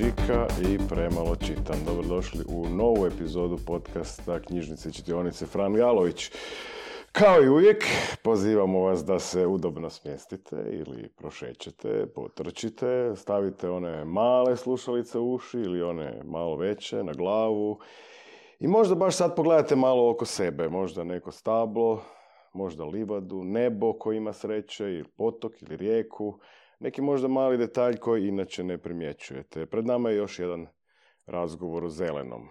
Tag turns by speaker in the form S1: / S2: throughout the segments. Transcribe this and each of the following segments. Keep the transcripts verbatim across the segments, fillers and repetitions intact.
S1: čika i premalo čitam. Dobrodošli u novu epizodu podcasta Knjižnice i čitionice Fran Galović. Kao i uvijek, pozivamo vas da se udobno smjestite ili prošećete, potrčite, stavite one male slušalice u uši ili one malo veće na glavu i možda baš sad pogledate malo oko sebe, možda neko stablo, možda livadu, nebo koji ima sreće, ili potok ili rijeku, neki možda mali detalj koji inače ne primjećujete. Pred nama je još jedan razgovor o zelenom.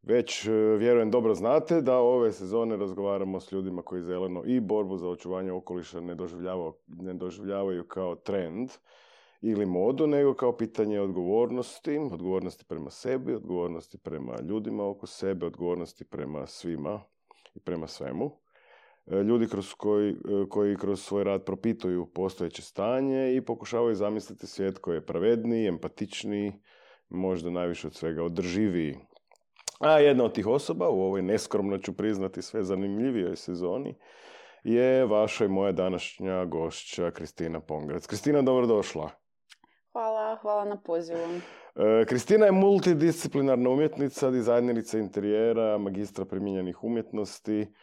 S1: Već, vjerujem, dobro znate da ove sezone razgovaramo s ljudima koji zeleno i borbu za očuvanje okoliša ne doživljavaju, ne doživljavaju kao trend ili modu, nego kao pitanje odgovornosti, odgovornosti prema sebi, odgovornosti prema ljudima oko sebe, odgovornosti prema svima i prema svemu. Ljudi kroz koji, koji kroz svoj rad propituju postojeće stanje i pokušavaju zamisliti svijet koji je pravedniji, empatičniji, možda najviše od svega održiviji. A jedna od tih osoba, u ovoj neskromno ću priznati sve zanimljivijoj sezoni, je vaša i moja današnja gošća Kristina Pongrac. Kristina, dobrodošla.
S2: Hvala, hvala na pozivu.
S1: E, Kristina je multidisciplinarna umjetnica, dizajnerica interijera, magistra primijenjenih umjetnosti.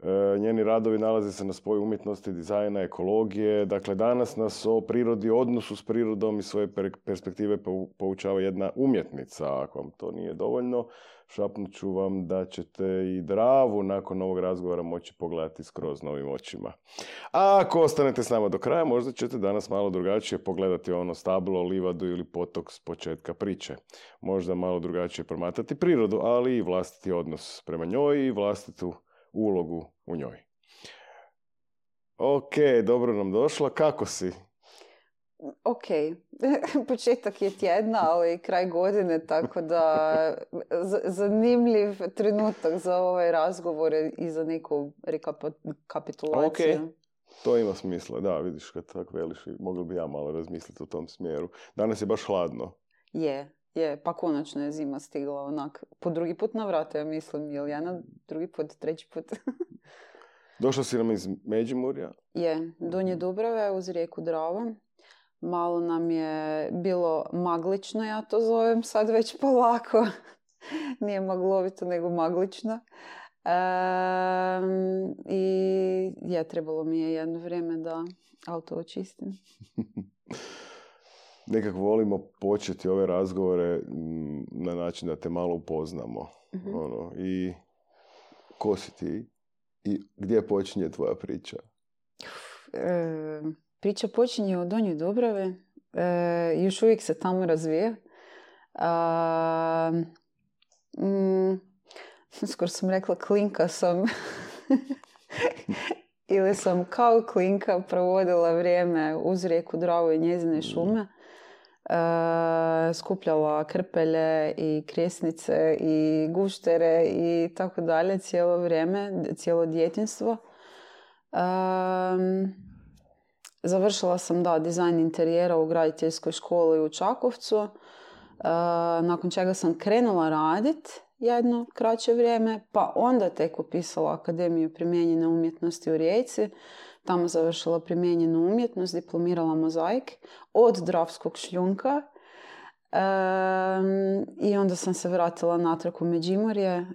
S1: E, njeni radovi nalaze se na spoju umjetnosti, dizajna, ekologije. Dakle, danas nas o prirodi, odnosu s prirodom i svoje perspektive poučava jedna umjetnica. Ako vam to nije dovoljno, šapnut ću vam da ćete i Dravu nakon ovog razgovora moći pogledati skroz novim očima. A ako ostanete s nama do kraja, možda ćete danas malo drugačije pogledati ono stablo, livadu ili potok s početka priče. Možda malo drugačije promatrati prirodu, ali i vlastiti odnos prema njoj i vlastitu ulogu u njoj. Ok, dobro nam došla. Kako si?
S2: Ok, početak je tjedna, ali kraj godine, tako da z- zanimljiv trenutak za ovaj razgovor i za neku rekapitulaciju.
S1: Ok, to ima smisla. Da, vidiš kad tako veliš, mogli bi ja malo razmisliti u tom smjeru. Danas je baš hladno.
S2: Je, je, pa konačno je zima stigla onak po drugi put na vrata, ja mislim, ili ja na drugi put, treći put.
S1: Došla si nam iz Međimurja?
S2: Je, Donje Dubrave uz rijeku Dravu. Malo nam je bilo maglično, ja to zovem sad već polako. Nije maglovito, nego maglično. E, I je, trebalo mi je jedno vrijeme da auto očistim.
S1: Nekako volimo početi ove razgovore na način da te malo upoznamo. Mm-hmm. Ono, i ko si ti? I gdje počinje tvoja priča?
S2: E, priča počinje u Donjoj Dubravi. E, još uvijek se tamo razvija. A, mm, skoro sam rekla klinka sam. Ili sam kao klinka provodila vrijeme uz rijeku Dravu i njezine šume. Uh, skupljala krpelje i krijesnice i guštere i tako dalje cijelo vrijeme, cijelo djetinjstvo. Um, završila sam da dizajn interijera u graditeljskoj školi u Čakovcu, uh, nakon čega sam krenula radit jedno kraće vrijeme, pa onda tek upisala Akademiju primijenjene umjetnosti u Rijeci. Tamo završila primijenjenu umjetnost, diplomirala mozaik od Dravskog šljunka. E, I onda sam se vratila natrag u Međimurje e,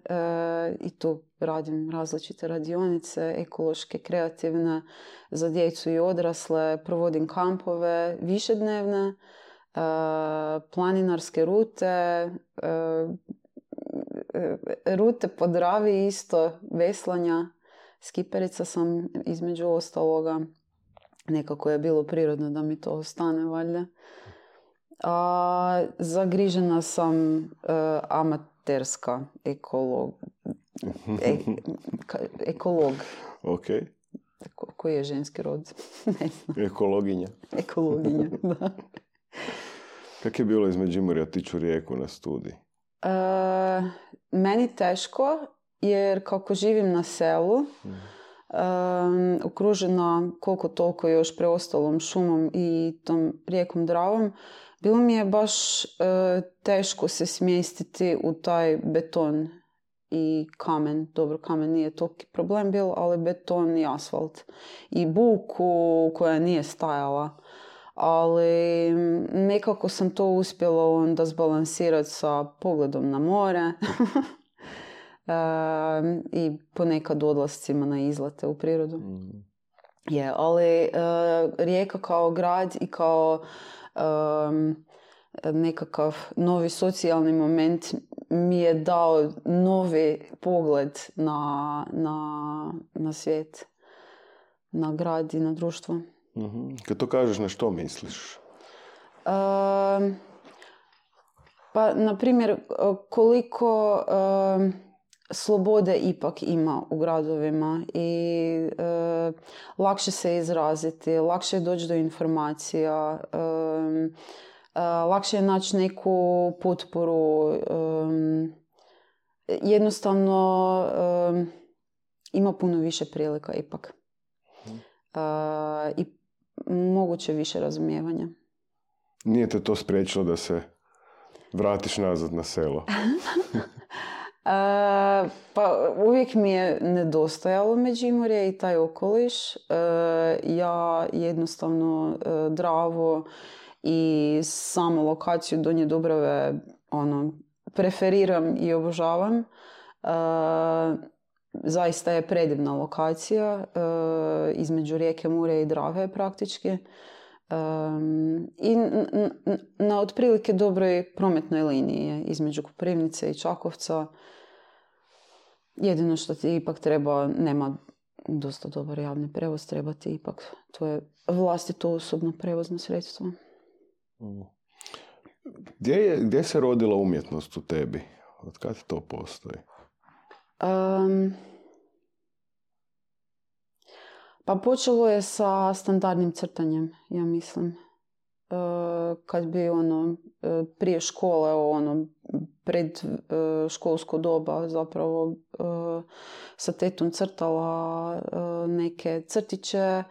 S2: i tu radim različite radionice, ekološke, kreativne, za djecu i odrasle. Provodim kampove, višednevne, e, planinarske rute, e, rute po Dravi isto, veslanja. Skiperica sam između ostaloga. Nekako je bilo prirodno da mi to ostane, valjda. A, zagrižena sam uh, amaterska ekolog. E, ka, ekolog.
S1: Ok.
S2: Ko, koji je ženski rod? Ne znam.
S1: Ekologinja.
S2: Ekologinja, da.
S1: Kako je bilo iz Međimurja otići u Rijeku na studij?
S2: Uh, meni teško. Jer kako živim na selu, mm. um, okružena koliko toliko još preostalom šumom i tom rijekom Dravom, bilo mi je baš uh, teško se smjestiti u taj beton i kamen. Dobro, kamen nije toliki problem bil, ali beton i asfalt. I buku koja nije stajala. ali nekako sam to uspjela onda zbalansirati sa pogledom na more e, i ponekad odlascima na izlete u prirodu. Mm. Je, ali e, Rijeka kao grad i kao e, nekakav novi socijalni moment mi je dao novi pogled na, na, na svijet, na grad i na društvo.
S1: Mm-hmm. Kad to kažeš, na što misliš?
S2: Uh, pa, na primjer, koliko uh, slobode ipak ima u gradovima i uh, lakše se izraziti, lakše je doći do informacija, uh, Uh, lakše je naći neku potporu, um, jednostavno um, ima puno više prilika ipak uh, i moguće više razumijevanja.
S1: Nije te to spriječilo da se vratiš nazad na selo?
S2: uh, pa uvijek mi je nedostajalo Međimurje i taj okoliš. Uh, ja jednostavno uh, Dravo i samu lokaciju Donje Dubrave ono, preferiram i obožavam. E, zaista je predivna lokacija e, između rijeke Mure i Drave praktički. E, I n- n- na otprilike dobroj prometnoj liniji je između Koprivnice i Čakovca. Jedino što ti ipak treba, nema dosta dobar javni prevoz, treba ti ipak, to je vlastito osobno prevozno sredstvo.
S1: Gdje, je, gdje se rodila umjetnost u tebi? Od kad to postoji?
S2: Um, pa počelo je sa standardnim crtanjem, ja mislim. Uh, kad bi ono, prije škole, ono, pred uh, školsko doba zapravo uh, sa tetom crtala uh, neke crtiće,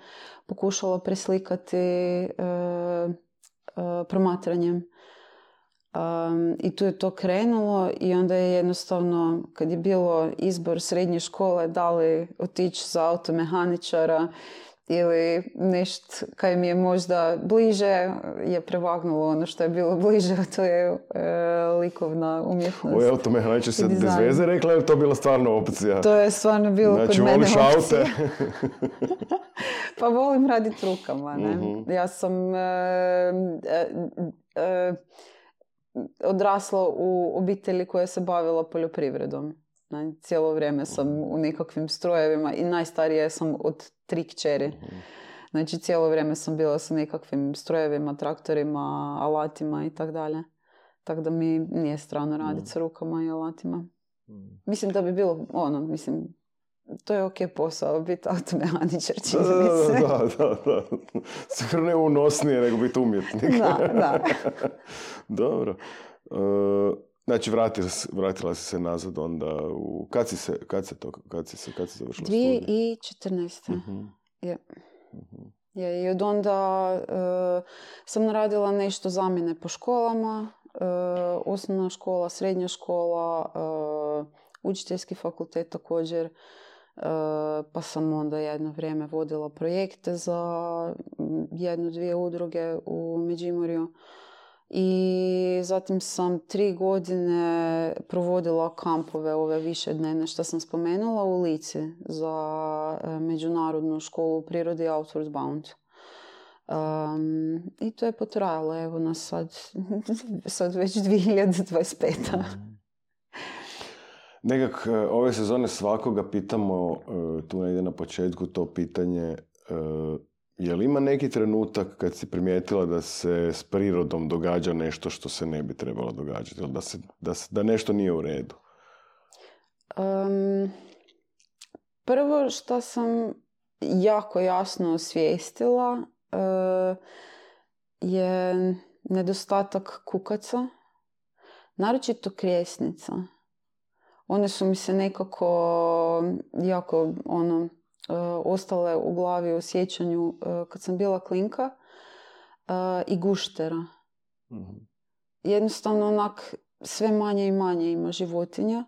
S2: pokušala preslikati uh, Uh, promatranjem. Um, I tu je to krenulo i onda je jednostavno, kad je bilo izbor srednje škole, da li otići za automehaničara ili nešto kaj mi je možda bliže, je prevagnulo ono što je bilo bliže, a to je uh, likovna umjetnost.
S1: Ovo automehaničar se bez veze rekla, je to bila stvarno opcija?
S2: To je stvarno bilo
S1: znači,
S2: kod mene opcija.
S1: Znači, voliš aute?
S2: Pa volim raditi rukama, ne? Mm-hmm. Ja sam uh, uh, uh, odrasla u obitelji koja se bavila poljoprivredom. Ne? Cijelo vrijeme sam u nekakvim strojevima i najstarija sam od tri kćeri. Mm-hmm. Znači, cijelo vrijeme sam bila sa nekakvim strojevima, traktorima, alatima i tak dalje. Tako da mi nije strano raditi mm. sa rukama i alatima. Mm. Mislim da bi bilo, ono, mislim, to je ok posao, biti automehaničar, čini mi se.
S1: Da, da, da. Sigurno ne unosnije nego biti umjetnik.
S2: Da, da.
S1: Dobro. Uh, znači, vratila, vratila si se nazad onda u... Kad si se, kad se to, kad si se, kad si završila studij?
S2: dvije tisuće četrnaeste.
S1: Uh-huh.
S2: Je. Uh-huh. Je. I od onda uh, sam radila nešto zamjene po školama, uh, osnovna škola, srednja škola, uh, učiteljski fakultet također. Uh, pa sam onda jedno vrijeme vodila projekte za jednu, dvije udruge u Međimurju. I zatim sam tri godine provodila kampove ove višednevne što sam spomenula u Lici za međunarodnu školu u prirodi Outward Bound. Um, I to je potrajalo, evo nas sad, sad već dvije hiljade dvadeset peta.
S1: Nekak ove sezone svakoga pitamo, tu negdje na početku to pitanje, je li ima neki trenutak kad si primijetila da se s prirodom događa nešto što se ne bi trebalo događati, ili da, se, da, se, da nešto nije u redu?
S2: Um, prvo što sam jako jasno osvijestila uh, je nedostatak kukaca, naročito krijesnica. One su mi se nekako jako ono, uh, ostale u glavi u sjećanju uh, kad sam bila klinka uh, i guštera. Mm-hmm. Jednostavno onak sve manje i manje ima životinja,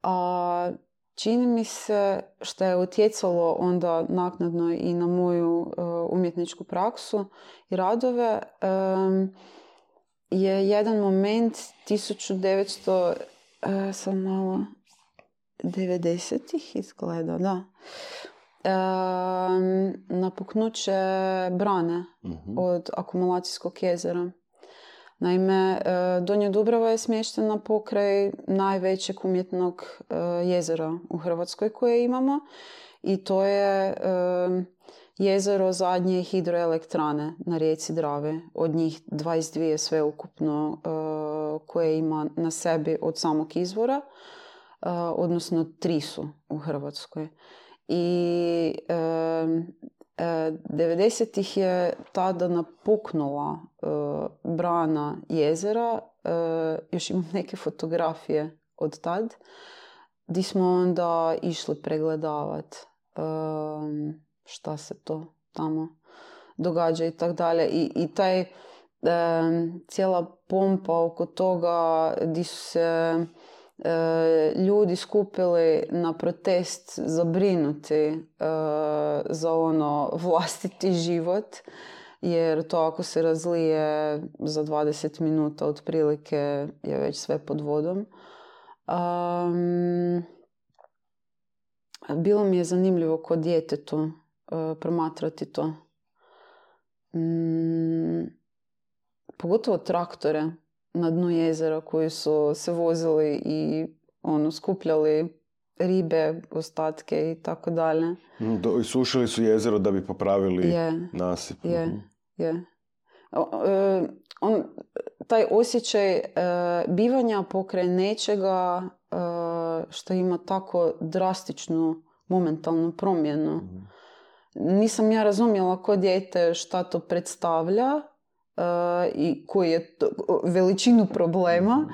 S2: a čini mi se što je utjecalo onda naknadno i na moju uh, umjetničku praksu i radove, um, je jedan moment tisuću devetsto, uh, sam malo, devedesetih izgleda, da. Um, napuknuće Brane
S1: mm-hmm.
S2: od akumulacijskog jezera. Naime, Donja Dubrava je smještena pokraj najvećeg umjetnog jezera u Hrvatskoj koje imamo i to je jezero zadnje hidroelektrane na rijeci Drave. Od njih dvadeset dvije sveukupno koje ima na sebi od samog izvora, odnosno tri su u Hrvatskoj. I devedesetih je tada napuknula uh, brana jezera, uh, još imam neke fotografije od tad, gdje smo onda išli pregledavat uh, šta se to tamo događa i tak dalje. I, i taj uh, cijela pompa oko toga gdje su se uh, ljudi skupili na protest zabrinuti uh, za ono vlastiti život, jer to ako se razlije za dvadeset minuta otprilike je već sve pod vodom. Um, bilo mi je zanimljivo kod djetetu uh, promatrati to. Um, pogotovo traktore na dnu jezera koji su se vozili i ono, skupljali ribe, ostatke i tako dalje.
S1: I sušili su jezero da bi popravili
S2: je,
S1: nasip.
S2: Je, je. On, taj osjećaj uh, bivanja pokraj nečega uh, što ima tako drastičnu momentalnu promjenu. Mm. Nisam ja razumjela ko dijete šta to predstavlja uh, i koji je to, veličinu problema, mm.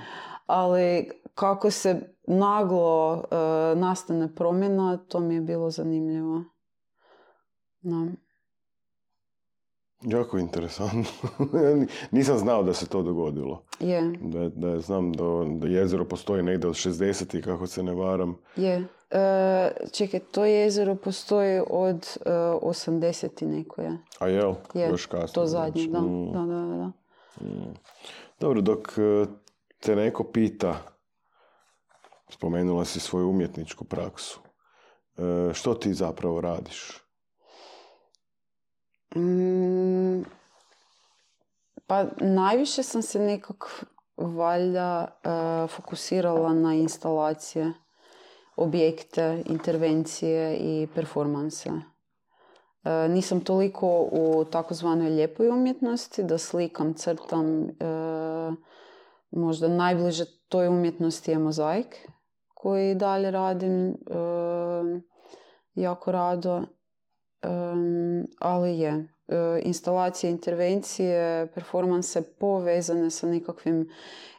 S2: ali kako se naglo uh, nastane promjena, to mi je bilo zanimljivo. No.
S1: Jako interesantno. Nisam znao da se to dogodilo.
S2: Je.
S1: Da, da znam da, da jezero postoji negdje od šezdesetih, kako se ne varam.
S2: Je. E, čekaj, to jezero postoji od e, osamdesetih nekoje.
S1: A jel?
S2: Je.
S1: Još kasno.
S2: To zadnje, da.
S1: Mm.
S2: da, da, da.
S1: Mm. Dobro, dok te neko pita, spomenula si svoju umjetničku praksu, e, što ti zapravo radiš?
S2: Mm, pa najviše sam se nekako valjda uh, fokusirala na instalacije, objekte, intervencije i performanse. Uh, nisam toliko u takozvanoj lijepoj umjetnosti, da slikam, crtam. Uh, možda najbliže toj umjetnosti je mozaik, koji dalje radim uh, jako rado. Um, ali je, uh, instalacije, intervencije, performanse povezane sa nekakvim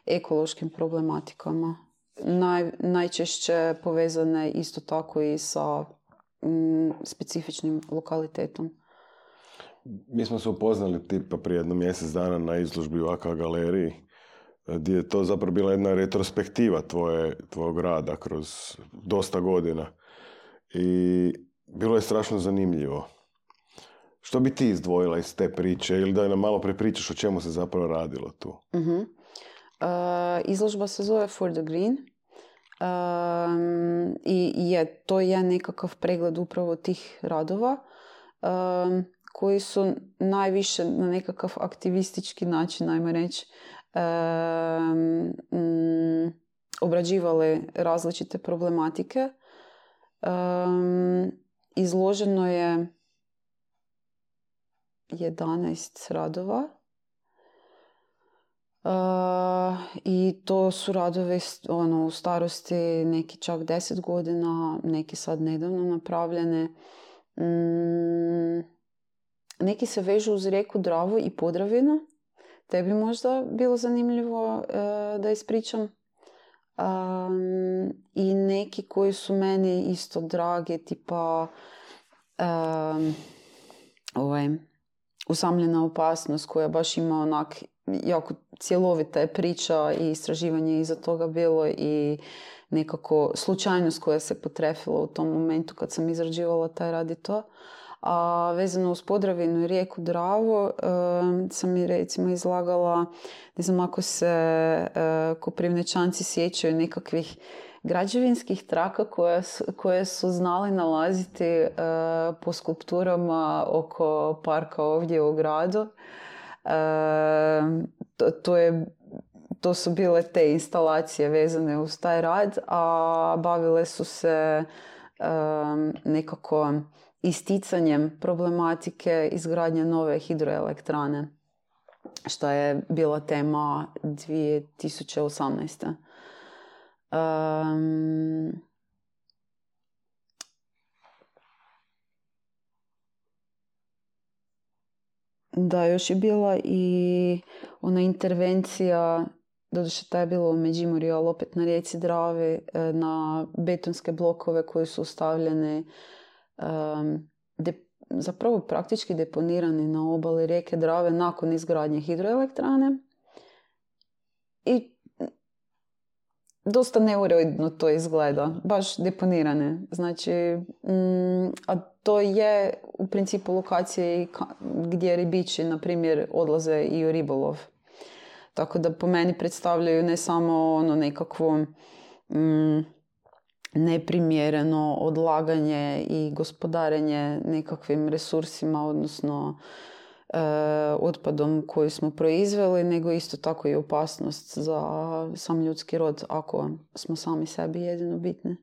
S2: ekološkim problematikama. Naj, najčešće povezane isto tako i sa um, specifičnim lokalitetom.
S1: Mi smo se upoznali tipa prije jedno mjesec dana na izložbi u A K galeriji, gdje je to zapravo bila jedna retrospektiva tvoje, tvojeg rada kroz dosta godina. I bilo je strašno zanimljivo. Što bi ti izdvojila iz te priče ili da nam malo prepričaš o čemu se zapravo radilo tu?
S2: Uh-huh. Uh, izložba se zove For the Green. Um, i je, to je nekakav pregled upravo tih radova um, koji su najviše na nekakav aktivistički način, ajmo reći, um, um, obrađivali različite problematike. Um, izloženo je jedanaest radova uh, i to su radovi ono, u starosti neki čak deset godina, neki sad nedavno napravljene. Um, neki se vežu uz rijeku Dravu i Podravinu. Tebi možda bilo zanimljivo uh, da ispričam. Um, i neki koji su meni isto dragi, tipa um, ovaj, Usamljena opasnost koja baš ima onak jako cjelovita je priča i istraživanje iza toga bilo i nekako slučajnost koja se potrefila u tom momentu kad sam izrađivala taj radi to. A vezano uz Podravinu i rijeku Dravu e, sam i recimo izlagala, ne znam ako se e, Koprivničanci sjećaju nekakvih građevinskih traka koje su, koje su znali nalaziti e, po skulpturama oko parka ovdje u gradu. E, to, to, je, to su bile te instalacije vezane uz taj rad, a bavile su se e, nekako isticanjem problematike izgradnje nove hidroelektrane, što je bila tema dvije tisuće osamnaeste. Um, da, još je bila i ona intervencija, doduše ta je bila u Međimurju, ali opet na rijeci Dravi, na betonske blokove koji su stavljeni um, de, zapravo praktički deponirani na obali rijeke Drave nakon izgradnje hidroelektrane. I dosta neuredno to izgleda, baš deponirane. Znači, mm, a to je u principu lokacije gdje ribiči, na primjer, odlaze i u ribolov. Tako da po meni predstavljaju ne samo ono nekakvo mm, neprimjereno odlaganje i gospodarenje nekakvim resursima, odnosno e, otpadom koji smo proizveli, nego isto tako i opasnost za sam ljudski rod ako smo sami sebi jedino bitni.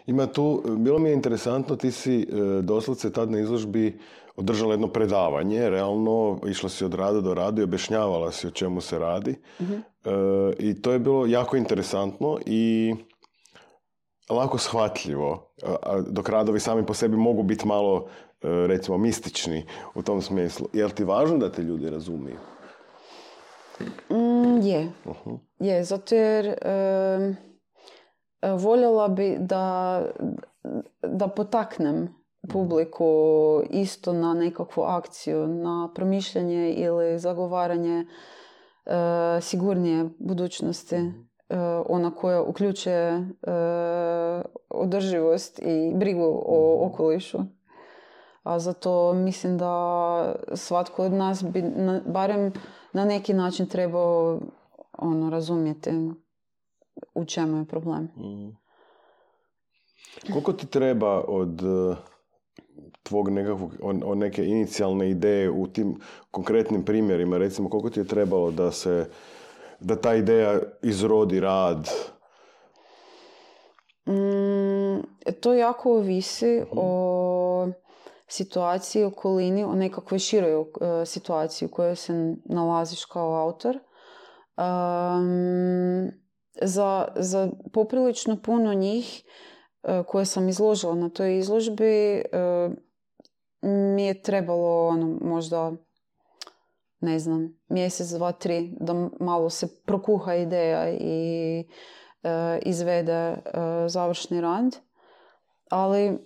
S1: Ima tu, bilo mi je interesantno, ti si e, doslovce tad na izložbi održala jedno predavanje, realno išla si od rada do rada i objašnjavala si o čemu se radi. Uh-huh. E, I to je bilo jako interesantno i lako shvatljivo, a, dok radovi sami po sebi mogu biti malo, e, recimo, mistični u tom smislu. Je li ti važno da te ljudi razumiju?
S2: Mm, je. Uh-huh. Je, zato jer e, voljela bi da, da potaknem publiku isto na nekakvu akciju, na promišljanje ili zagovaranje e, sigurnije budućnosti, e, ona koja uključuje e, održivost i brigu o okolišu. A zato mislim da svatko od nas bi na, barem na neki način trebao ono, razumjeti u čemu je problem.
S1: Mm. Koliko ti treba od tvog nekakvog, od neke inicijalne ideje u tim konkretnim primjerima, recimo koliko ti je trebalo da se, da ta ideja izrodi rad?
S2: Mm, to jako ovisi hmm. o situaciji, okolini, o nekakvoj široj uh, situaciji u kojoj se nalaziš kao autor. Um, za, za poprilično puno njih uh, koje sam izložila na toj izložbi uh, mi je trebalo ono, možda ne znam, mjesec, dva, tri da malo se prokuha ideja i uh, izvede uh, završni rad. Ali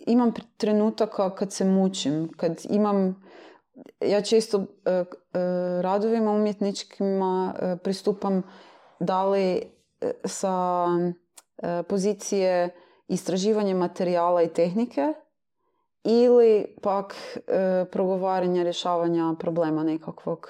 S2: imam trenutaka kad se mučim, kad imam, ja često uh, uh, radovima umjetničkima uh, pristupam da li uh, sa uh, pozicije istraživanja materijala i tehnike ili pak uh, progovaranja, rješavanja problema nekakvog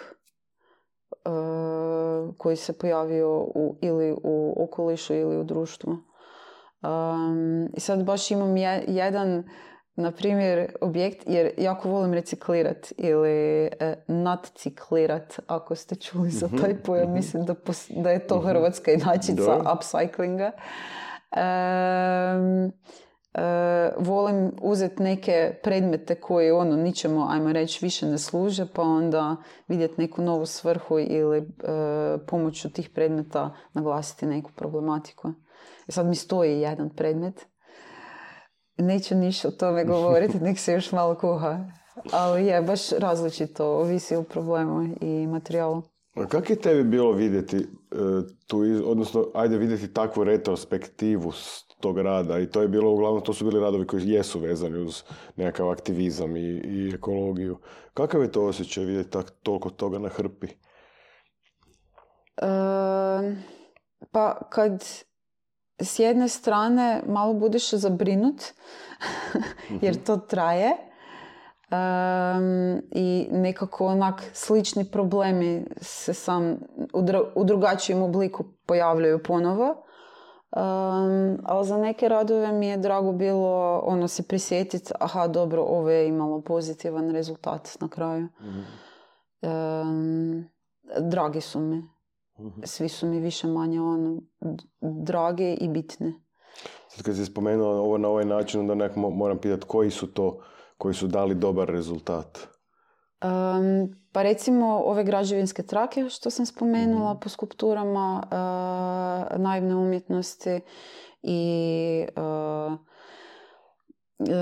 S2: uh, koji se pojavio u, ili u okolišu ili u društvu. Um, I sad baš imam je, jedan, na primjer, objekt, jer jako volim reciklirati ili e, nadciklirat, ako ste čuli za taj pojam, mm-hmm. mislim da, pos, da je to hrvatska inačica mm-hmm. upcyclinga. Um, uh, volim uzeti neke predmete koji ono ničemu, ajmo reći, više ne služe, pa onda vidjeti neku novu svrhu ili uh, pomoću tih predmeta naglasiti neku problematiku. Sad mi stoji jedan predmet. Neću ništa o tome govoriti, nek se još malo kuha. Ali je baš različito, ovisi o problemu i materijalu.
S1: A kako je tebi bilo vidjeti uh, tu, odnosno, ajde vidjeti takvu retrospektivu tog rada i to je bilo, uglavnom, to su bili radovi koji jesu vezani uz nekakav aktivizam i, i ekologiju. Kakav je to osjećaj vidjeti tak, toliko toga na hrpi?
S2: E, pa kad s jedne strane malo budeš zabrinut jer to traje um, i nekako onak slični problemi se sam u, dru- u drugačijem obliku pojavljaju ponovo. Um, ali za neke radove mi je drago bilo ono se prisjetiti, aha dobro, ovo je imalo pozitivan rezultat na kraju. Mm-hmm. Um, dragi su mi. Mm-hmm. Svi su mi više manje ono, dragi i bitni.
S1: Sad kad si spomenula ovo na ovaj način, onda nekako moram pitati koji su to koji su dali dobar rezultat.
S2: Um, pa recimo ove građevinske trake što sam spomenula mm-hmm. po skulpturama uh, naivne umjetnosti i uh,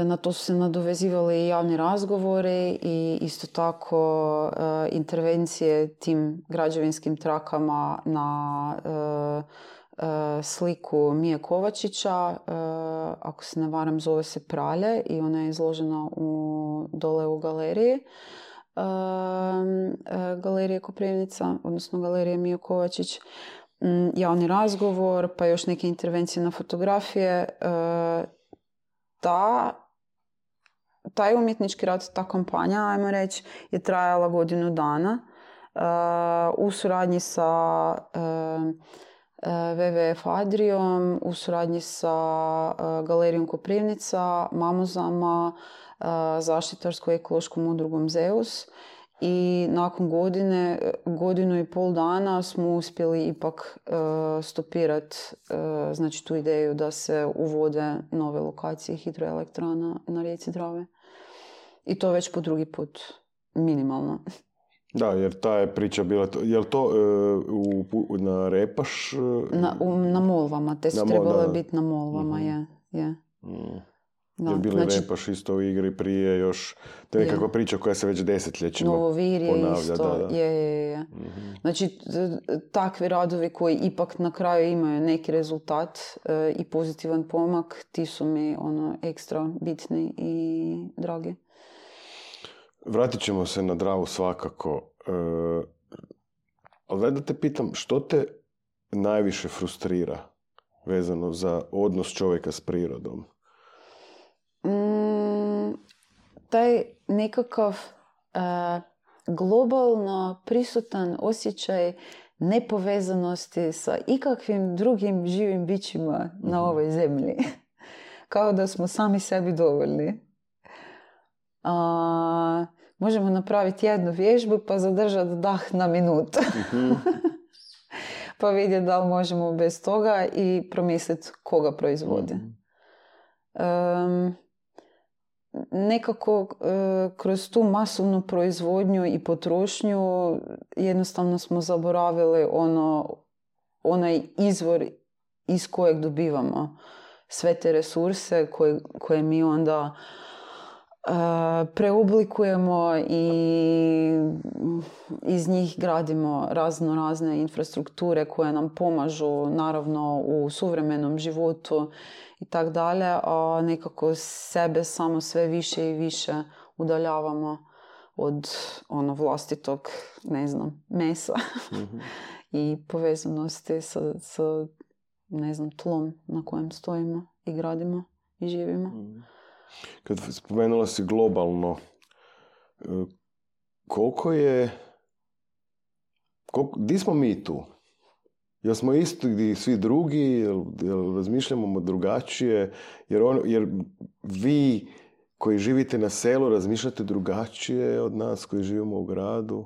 S2: na to su se nadovezivali i javni razgovori i isto tako uh, intervencije tim građevinskim trakama na uh, uh, sliku Mije Kovačića, uh, ako se ne varam zove se Pralje i ona je izložena u, dole u galeriji. Uh, uh, galerije Koprivnica, odnosno galerije Mije Kovačić, um, javni razgovor, pa još neke intervencije na fotografije. Uh, ta, taj umjetnički rad, ta kampanja, ajmo reći, je trajala godinu dana uh, u suradnji sa uh, uh, ve ve ef Adrijom, u suradnji sa uh, Galerijom Koprivnica, Mamuzama, zaštitarsko-ekološkom udrugom Zeus i nakon godine, godinu i pol dana smo uspjeli ipak uh, stopirati uh, znači tu ideju da se uvode nove lokacije hidroelektrana na rijeci Drave. I to već po drugi put, minimalno.
S1: Da, jer ta je priča bila, je li to uh, u, na Repaš? Uh,
S2: na, u, na Molvama, te su trebale biti na Molvama, mm-hmm. je. je. Mm.
S1: Da, jer bili znači, Repaš isto u igri prije još, to je nekakva priča koja se već desetljećima
S2: ponavlja. Novovir je isto,
S1: da, da.
S2: je, je, je. Mm-hmm. Znači, takvi radovi koji ipak na kraju imaju neki rezultat e, i pozitivan pomak, ti su mi ono ekstra bitni i dragi.
S1: Vratit ćemo se na Dravu svakako, e, ali daj da te pitam, što te najviše frustrira vezano za odnos čovjeka s prirodom?
S2: Mm, taj nekakav uh, globalno prisutan osjećaj nepovezanosti sa ikakvim drugim živim bićima mm-hmm. na ovoj zemlji. Kao da smo sami sebi dovoljni. Uh, možemo napraviti jednu vježbu pa zadržati dah na minutu. Mm-hmm. Pa vidjeti da li možemo bez toga i promisliti koga proizvodi. Mm-hmm. Um, nekako uh, kroz tu masovnu proizvodnju i potrošnju jednostavno smo zaboravili ono, onaj izvor iz kojeg dobivamo sve te resurse koje, koje mi onda uh, preoblikujemo i iz njih gradimo razno razne infrastrukture koje nam pomažu naravno u suvremenom životu i tak dalje, a nekako sebe samo sve više i više udaljavamo od ono vlastitog, ne znam, mesa mm-hmm. i povezanosti sa, sa, ne znam, tlom na kojem stojimo i gradimo i živimo. Mm.
S1: Kad spomenula si globalno, koliko je, koliko, di smo mi tu? Jel smo isti gdje svi drugi, jel, jel razmišljamo drugačije, jer, on, jer vi koji živite na selu razmišljate drugačije od nas koji živimo u gradu.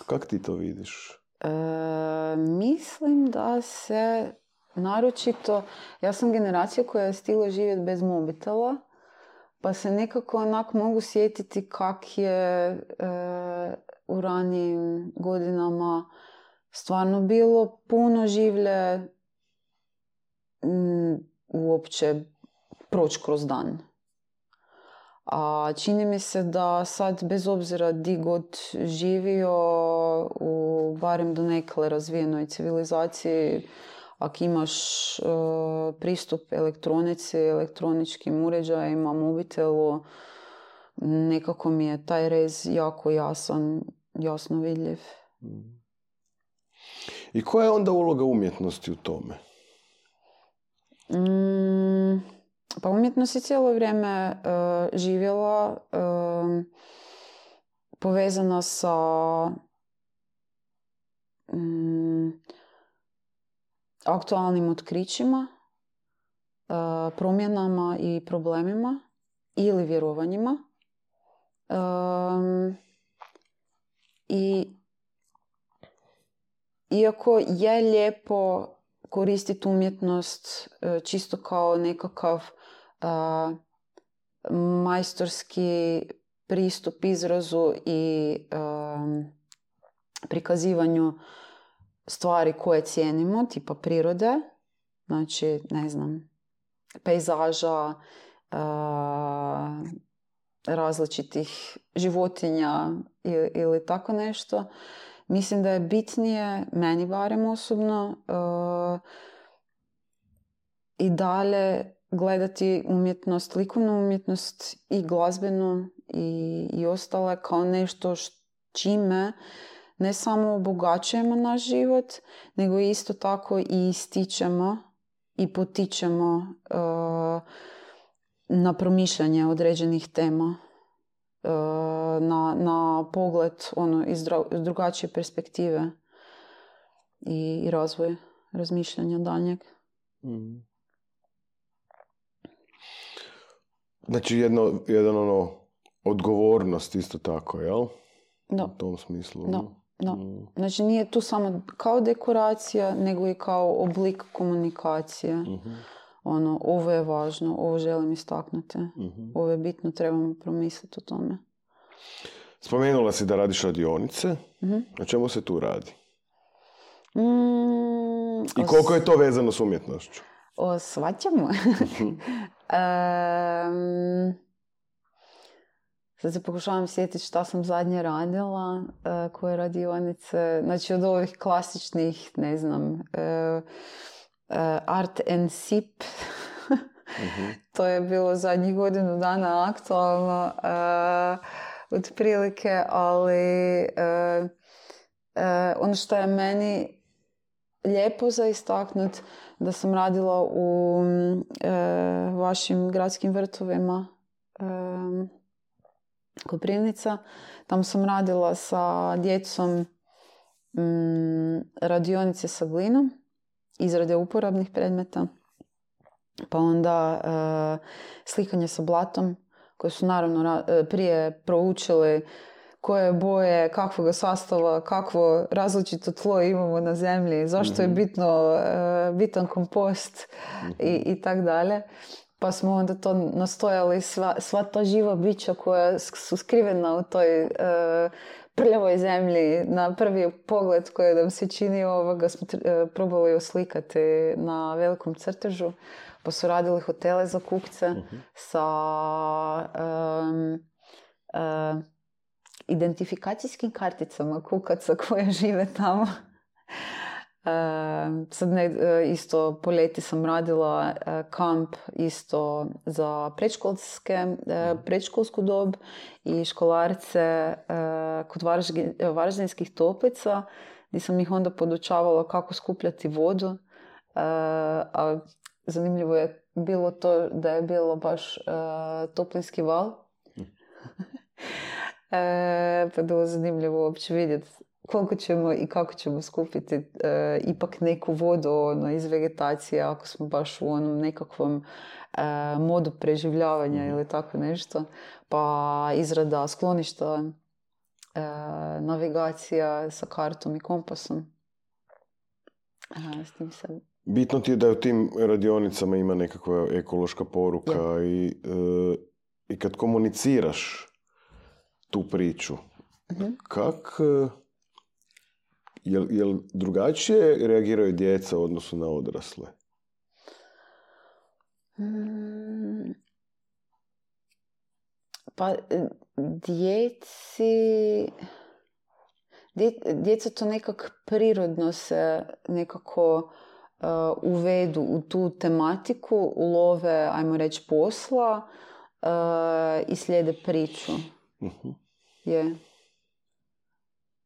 S1: Kako ti to vidiš?
S2: E, mislim da se naročito, ja sam generacija koja je stigla živjeti bez mobitela, pa se nekako onak mogu sjetiti kak je e, u ranijim godinama stvarno bilo puno življe m, uopće proći kroz dan. A čini mi se da sad, bez obzira di god živio, u barem donekle razvijenoj civilizaciji, ako imaš uh, pristup elektronici, elektroničkim uređajima, mobitelu, nekako mi je taj rez jako jasan, jasno vidljiv.
S1: I koja je onda uloga umjetnosti u tome?
S2: Mm, pa umjetnost je cijelo vrijeme uh, živjela uh, povezana sa um, aktualnim otkrićima, uh, promjenama i problemima ili vjerovanjima. Um, I iako je lijepo koristiti umjetnost uh, čisto kao nekakav uh, majstorski pristup izrazu i um, prikazivanju stvari koje cijenimo, tipa prirode, znači, ne znam, pejzaža, uh, različitih životinja ili, ili tako nešto. Mislim da je bitnije, meni barem osobno, uh, i dalje gledati umjetnost, likovnu umjetnost i glazbenu i, i ostale kao nešto š, čime ne samo obogaćujemo naš život, nego isto tako i ističemo i potičemo uh, na promišljanje određenih tema, uh, na, na pogled ono, iz dra- drugačije perspektive i, i razvoj razmišljanja daljnjeg.
S1: Mm. Znači jedno, jedan ono odgovornost isto tako, jel?
S2: Da.
S1: U tom smislu.
S2: Da. Da.
S1: Mm.
S2: Znači nije tu samo kao dekoracija, nego i kao oblik komunikacije.
S1: Mm-hmm.
S2: Ono, ovo je važno, ovo želim istaknuti.
S1: Mm-hmm.
S2: Ovo je bitno, trebamo promisliti o tome.
S1: Spomenula si da radiš radionice.
S2: Mm-hmm.
S1: Na čemu se tu radi?
S2: Mm,
S1: I koliko je to vezano s umjetnošću?
S2: O svačemu. um, sad se pokušavam sjetiti šta sam zadnje radila, uh, koje radionice. Znači od ovih klasičnih, ne znam, uh, uh, art and sip. Mm-hmm. To je bilo zadnjih godinu dana aktualno. Uh, otprilike, ali uh, uh, ono što je meni lijepo za istaknut, da sam radila u e, vašim gradskim vrtovima e, Koprivnica. Tamo sam radila sa djecom m, radionice sa glinom, izrade uporabnih predmeta, pa onda e, slikanje sa blatom, koje su naravno ra- prije proučili koje boje, kakvog sastava, kakvo različito tlo imamo na zemlji, zašto je bitno, bitan kompost i, i tak dalje. Pa smo onda to nastojali, sva, sva ta živa bića koja su skrivena u toj uh, prljavoj zemlji, na prvi pogled koji nam se čini ovoga, smo uh, probali oslikati na velikom crtežu. Pa su radili hotele za kupce uh-huh. sa um, uh, identifikacijskim karticama kukaca koje žive tamo. Uh, sad ne, uh, isto po ljeti sam radila uh, kamp isto za predškolske, uh, predškolsku dob i školarce uh, kod Varaždin, Varaždinskih toplica, gdje sam ih onda podučavala kako skupljati vodu. Uh, a zanimljivo je bilo to da je bilo baš uh, toplinski val. E, pa bilo zanimljivo uopće vidjeti koliko ćemo i kako ćemo skupiti e, ipak neku vodu ono, iz vegetacije ako smo baš u onom nekakvom e, modu preživljavanja mm-hmm. ili tako nešto. Pa izrada skloništa, e, navigacija sa kartom i kompasom. E, s tim se...
S1: Bitno ti je da u tim radionicama ima nekakva ekološka poruka ja. i, e, i kad komuniciraš tu priču. Uh-huh. Kak, jel, jel drugačije reagiraju djeca u odnosu na odrasle?
S2: Hmm. Pa djeci... Dje, djeca to nekak prirodno se nekako uh, uvedu u tu tematiku, ulove, ajmo reći, posla uh, i slijede priču.
S1: Uh-huh.
S2: Je.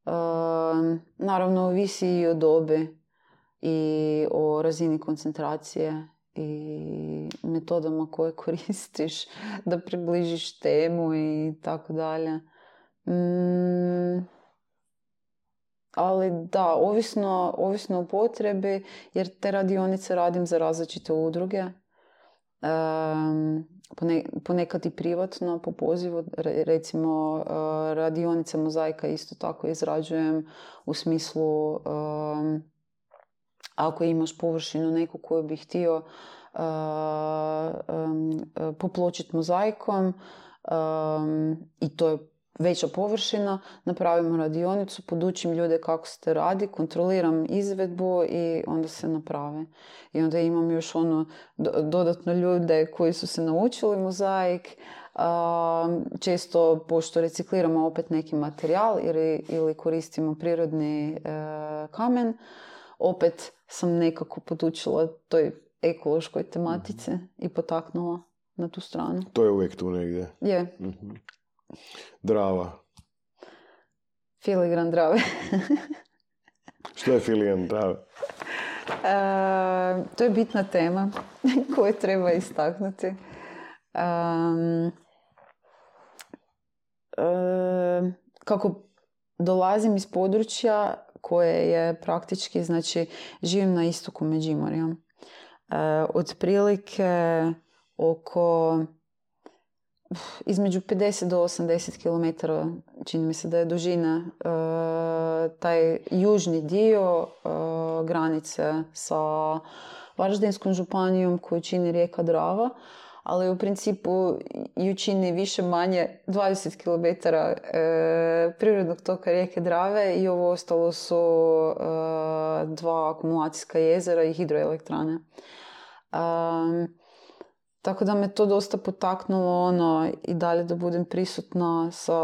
S2: Uh, naravno, ovisi i o dobi i o razini koncentracije i metodama koje koristiš da približiš temu i tako dalje. Mm, ali da, ovisno, ovisno o potrebi, jer te radionice radim za različite udruge. Um, ponekad i privatno, po pozivu, recimo uh, radionice mozaika isto tako izrađujem u smislu um, ako imaš površinu neku koju bi htio uh, um, popločiti mozaikom um, i to je veća površina, napravimo radionicu, podučim ljude kako se to radi, kontroliram izvedbu i onda se naprave. I onda imam još ono dodatno ljude koji su se naučili mozaik, često pošto recikliramo opet neki materijal ili, ili koristimo prirodni e, kamen, opet sam nekako podučila toj ekološkoj tematici mm-hmm. i potaknula na tu stranu.
S1: To je uvijek tu negdje.
S2: Je.
S1: Mm-hmm. Drava.
S2: Filigran drave.
S1: Što je filigran drave?
S2: E, to je bitna tema koju treba istaknuti. Um, e, kako dolazim iz područja koje je praktički, znači, živim na istoku Međimurja. E, otprilike oko između pedeset do osamdeset kilometara, čini mi se da je dužina, e, taj južni dio e, granice sa Varaždinskom županijom koju čini rijeka Drava, ali u principu ju čini više manje dvadeset kilometara e, prirodnog toka rijeke Drave i ovo ostalo su e, dva akumulacijska jezera i hidroelektrane. E, Tako da me to dosta potaknulo ono, i dalje da budem prisutna sa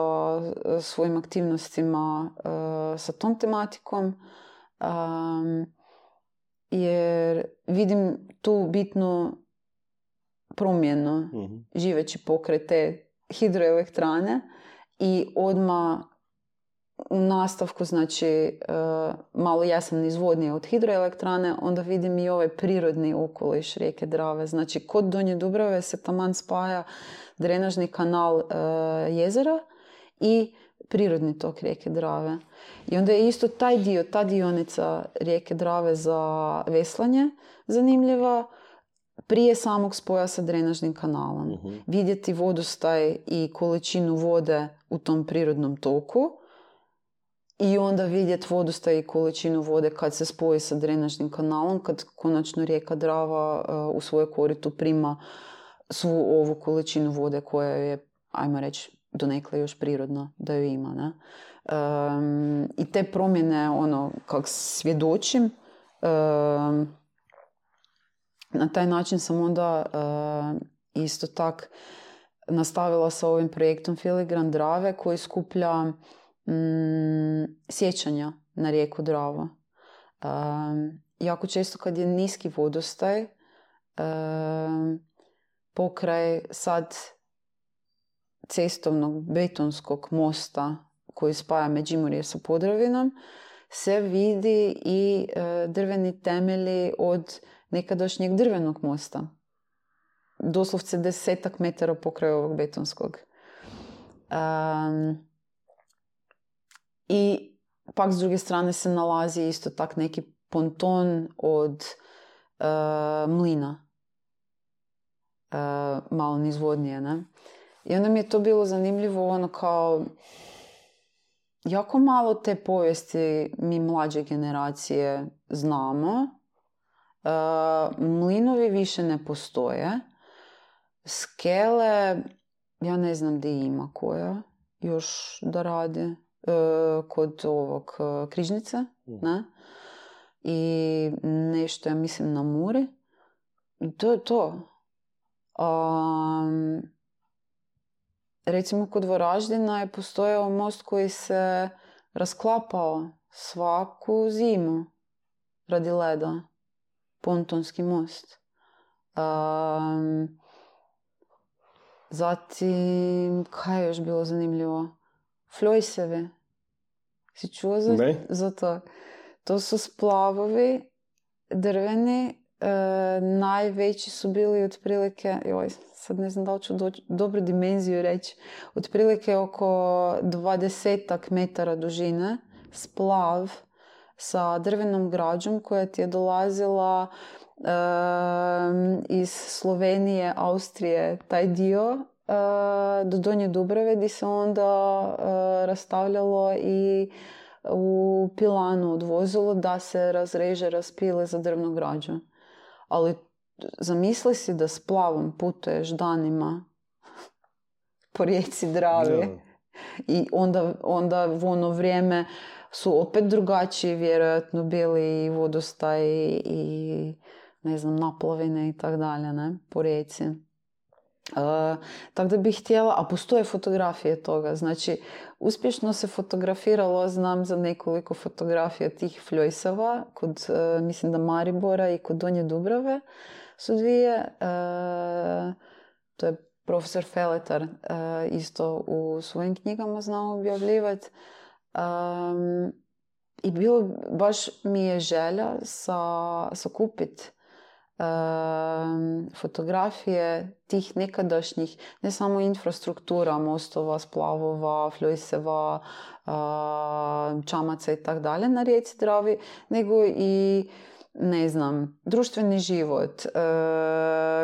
S2: svojim aktivnostima uh, sa tom tematikom. Um, jer vidim tu bitnu promjenu mm-hmm. živeći pokraj te hidroelektrane i odmah u nastavku, znači, uh, malo ja sam nizvodnija od hidroelektrane, onda vidim i ovaj prirodni okoliš rijeke Drave. Znači, kod Donje Dubrave se taman spaja drenažni kanal uh, jezera i prirodni tok rijeke Drave. I onda je isto taj dio, ta dionica rijeke Drave za veslanje zanimljiva prije samog spoja sa drenažnim kanalom. Uh-huh. Vidjeti vodostaj i količinu vode u tom prirodnom toku i onda vidjeti vodostaj i količinu vode kad se spoji sa drenažnim kanalom, kad konačno rijeka Drava uh, u svoje koritu prima svu ovu količinu vode koja je, ajmo reći, donekle još prirodna da ju ima. Ne? Um, I te promjene, ono, kak svjedočim, um, na taj način sam onda uh, isto tak nastavila sa ovim projektom Filigran Drave koji skuplja mm, sjećanja na rijeku Dravu. Um, jako često kad je niski vodostaj, um, pokraj sad cestovnog betonskog mosta koji spaja Međimurje sa Podravinom, se vidi i uh, drveni temelji od nekadašnjeg drvenog mosta. Doslovce desetak metara pokraj ovog betonskog. Um, I pak s druge strane se nalazi isto tak neki ponton od uh, mlina. Uh, malo nizvodnije, ne? I onda mi je to bilo zanimljivo, ono kao jako malo te povijesti mi mlađe generacije znamo. Uh, mlinovi više ne postoje. Skele, ja ne znam gdje ima koja još da radi. Uh, kod ovog uh, Križnice, mm. ne? I nešto, ja mislim, na Muri. I to je to. Um, recimo, kod Varaždina je postojao most koji se rasklapao svaku zimu radi leda. pontonski most. Um, zatim, kaj je još bilo zanimljivo? Flojsevi. Si čuo za, za to? To su splavovi drveni. E, najveći su bili otprilike, joj, sad ne znam da li ću doći, dobru dimenziju reći, otprilike oko dvadesetak metara dužine, splav sa drvenom građom koja ti je dolazila e, iz Slovenije, Austrije, taj dio e, do Donje Dubrave, gdje se onda e, rastavljalo i u pilanu odvozilo da se razreže, raspile za drvnu građu. Ali zamisli si da s plavom putuješ danima po rijeci Dravi. No. I onda, onda u ono vrijeme su opet drugačiji vjerojatno bili i vodostaj i ne znam, naplavine i tak dalje, ne, po rijeci. Uh, tako da bih htjela, a postoje fotografije toga, znači uspješno se fotografiralo, znam za nekoliko fotografija tih fljojsava kod, uh, mislim da Maribora i kod Donje Dubrave su dvije, uh, to je profesor Feletar uh, isto u svojim knjigama znao objavljivati. Um, i bilo, baš mi je želja sa, sakupiti Um, fotografije tih nekadašnjih, ne samo infrastruktura, mostova, splavova, fljojseva, uh, čamaca i tak dalje na rijeci Dravi, nego i, ne znam, društveni život, uh,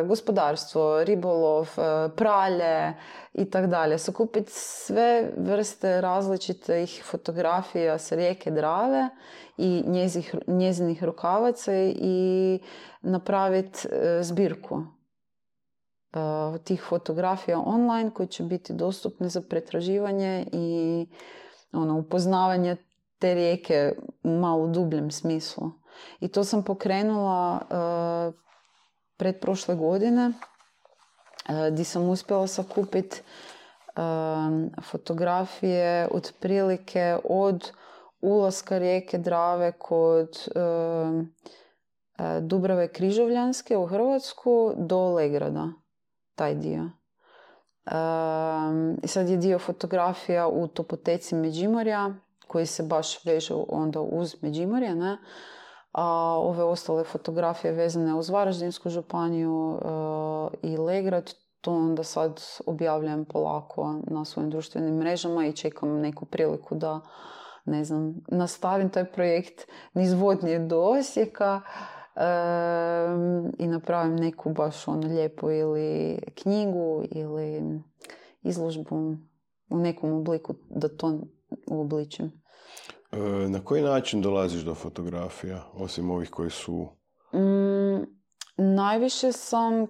S2: gospodarstvo, ribolov, uh, pralje i tak dalje. Sakupiti sve vrste različitih fotografija sa rijeke Drave i njezih, njezinih rukavaca i napraviti uh, zbirku uh, tih fotografija online koji će biti dostupne za pretraživanje i ono, upoznavanje te rijeke u malo dubljem smislu. I to sam pokrenula uh, pretprošle godine uh, gdje sam uspjela sakupiti uh, fotografije otprilike od ulaska rijeke Drave kod uh, Dubrave Križovljanske u Hrvatsku do Legrada, taj dio. Um, I sad je dio fotografija u topoteci Međimurja, koji se baš vežu onda uz Međimurje, ne? A ove ostale fotografije vezane uz Varaždinsku županiju uh, i Legrad, to onda sad objavljam polako na svojim društvenim mrežama i čekam neku priliku da, ne znam, nastavim taj projekt niz Vodnje do Osijeka. Um, i napravim neku baš ono lijepu ili knjigu ili izložbu u nekom obliku da to uobličim.
S1: E, na koji način dolaziš do fotografija, osim ovih koji su...
S2: Mm, najviše sam e,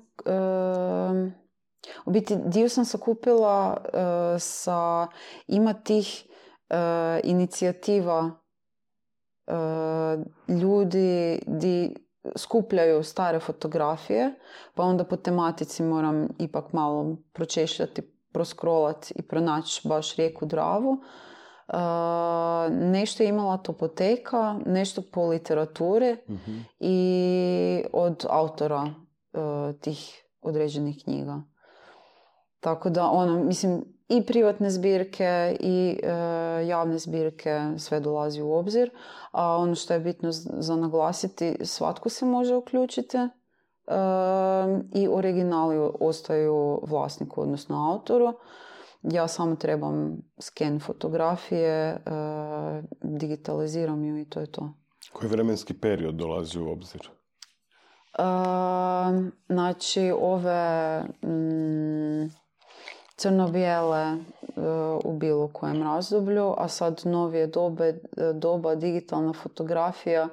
S2: u biti dio sam sakupila e, sa ima tih e, inicijativa e, ljudi di skupljaju stare fotografije, pa onda po tematici moram ipak malo pročešljati, proskrolati i pronaći baš rijeku Dravu. Uh, nešto je imala topoteka, nešto po literaturi mm-hmm. i od autora uh, tih određenih knjiga. Tako da, ono, mislim, i privatne zbirke i e, javne zbirke sve dolazi u obzir. A ono što je bitno za naglasiti, svatko se može uključiti e, i originali ostaju vlasniku, odnosno autoru. Ja samo trebam sken fotografije, e, digitaliziram ju i to je to.
S1: Koji vremenski period dolazi u obzir?
S2: E, znači, ove... Mm, crno-bijele uh, u bilo kojem razdoblju, a sad novije dobe, doba, digitalna fotografija.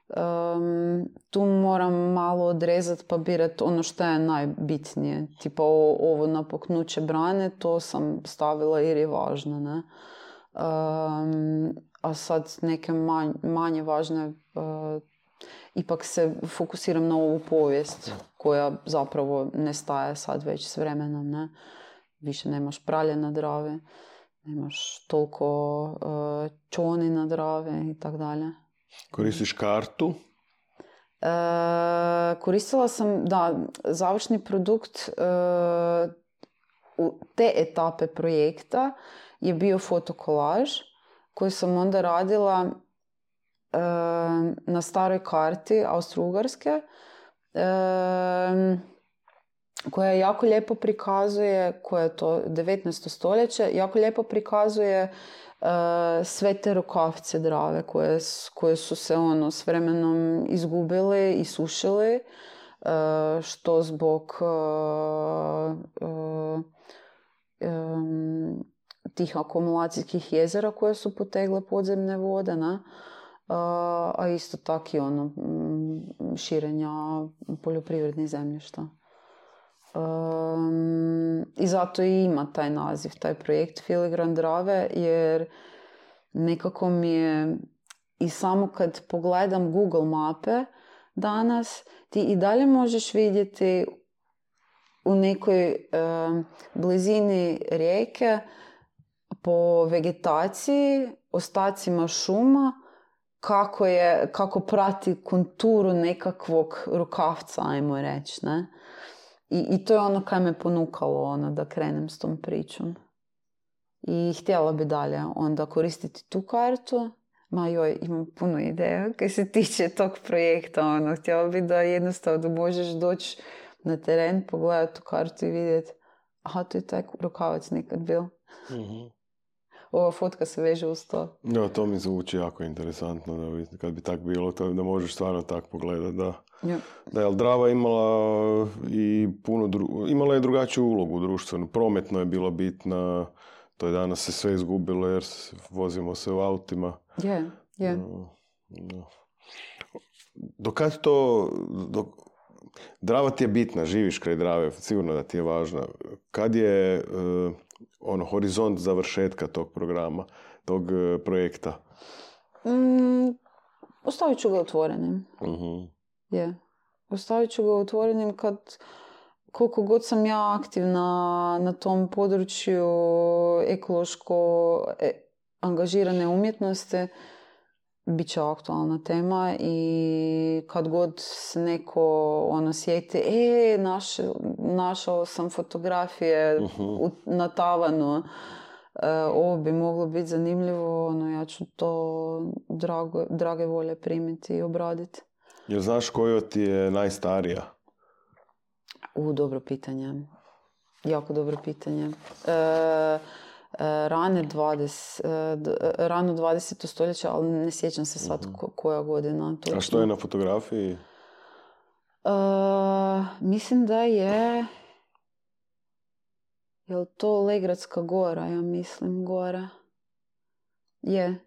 S2: Um, tu moram malo odrezati pa birati ono što je najbitnije. Tipa o, ovo napuknuće brane, to sam stavila jer je važno, ne? Um, a sad neke manj, manje važne, uh, ipak se fokusiram na ovu povijest koja zapravo nestaje sad već s vremenom, ne? Više nemaš pralje na Dravi, nemaš toliko uh, čoni na Dravi i tak dalje.
S1: Koristiš kartu?
S2: E, koristila sam, da, završni produkt e, u te etape projekta je bio fotokolaž koji sam onda radila e, na staroj karti Austro-Ugarske, e, koja jako lijepo prikazuje, koja je to devetnaesto stoljeće, jako lijepo prikazuje uh, sve te rukavce Drave koje, koje su se ono s vremenom izgubile i sušile, uh, što zbog uh, uh, um, tih akumulacijskih jezera koje su potegle podzemne vode, ne? Uh, a isto tako i ono, širenja poljoprivrednih zemljišta. Um, I zato i ima taj naziv, taj projekt Filigran Drave, jer nekako mi je i samo kad pogledam Google mape danas, ti i dalje možeš vidjeti u nekoj um, blizini rijeke po vegetaciji, ostacima šuma, kako, je, kako prati konturu nekakvog rukavca, ajmo reći, ne? I, I to je ono kaj me ponukalo ono, da krenem s tom pričom. I htjela bi dalje onda koristiti tu kartu. Ma joj, imam puno ideja kaj se tiče tog projekta. Ono. Htjela bi da jednostavno možeš doći na teren, pogledati tu kartu i vidjeti aha, to je taj rukavac nekad bio. Mm-hmm. Ova fotka se veže uz to.
S1: Ja, to mi zvuči jako interesantno. Da bi, kad bi tak bilo, to, da možeš stvarno tak pogledati, da. Ja. Da je Drava imala i puno dru... imala je drugačiju ulogu društvenu. Prometno je bila bitna, to je danas se sve izgubilo jer vozimo se u autima.
S2: Je, je.
S1: No. Do kad to... Do... Drava ti je bitna, živiš kraj Drave, sigurno da ti je važna. Kad je uh, ono, horizont završetka tog programa, tog uh, projekta?
S2: Mm, ostavit ću ga otvorenim. Uh-huh. Je. Ostavit ću ga otvorenim kad, koliko god sam ja aktivna na tom području ekološko e, angažirane umjetnosti, bit će aktualna tema i kad god se neko ono sjeti, e, naš, našao sam fotografije uh-huh. u, na tavanu, e, ovo bi moglo biti zanimljivo, ono, ja ću to drago, drage volje primiti i obraditi.
S1: Jel znaš koja ti je najstarija?
S2: U, dobro pitanje. Jako dobro pitanje. E, Rane dvadeset, rano dvadeseto stoljeće, ali ne sjećam se sad uh-huh. koja godina. Točno.
S1: A što je na fotografiji?
S2: Uh, mislim da je... Je li to Legradska gora, ja mislim, gora? Je.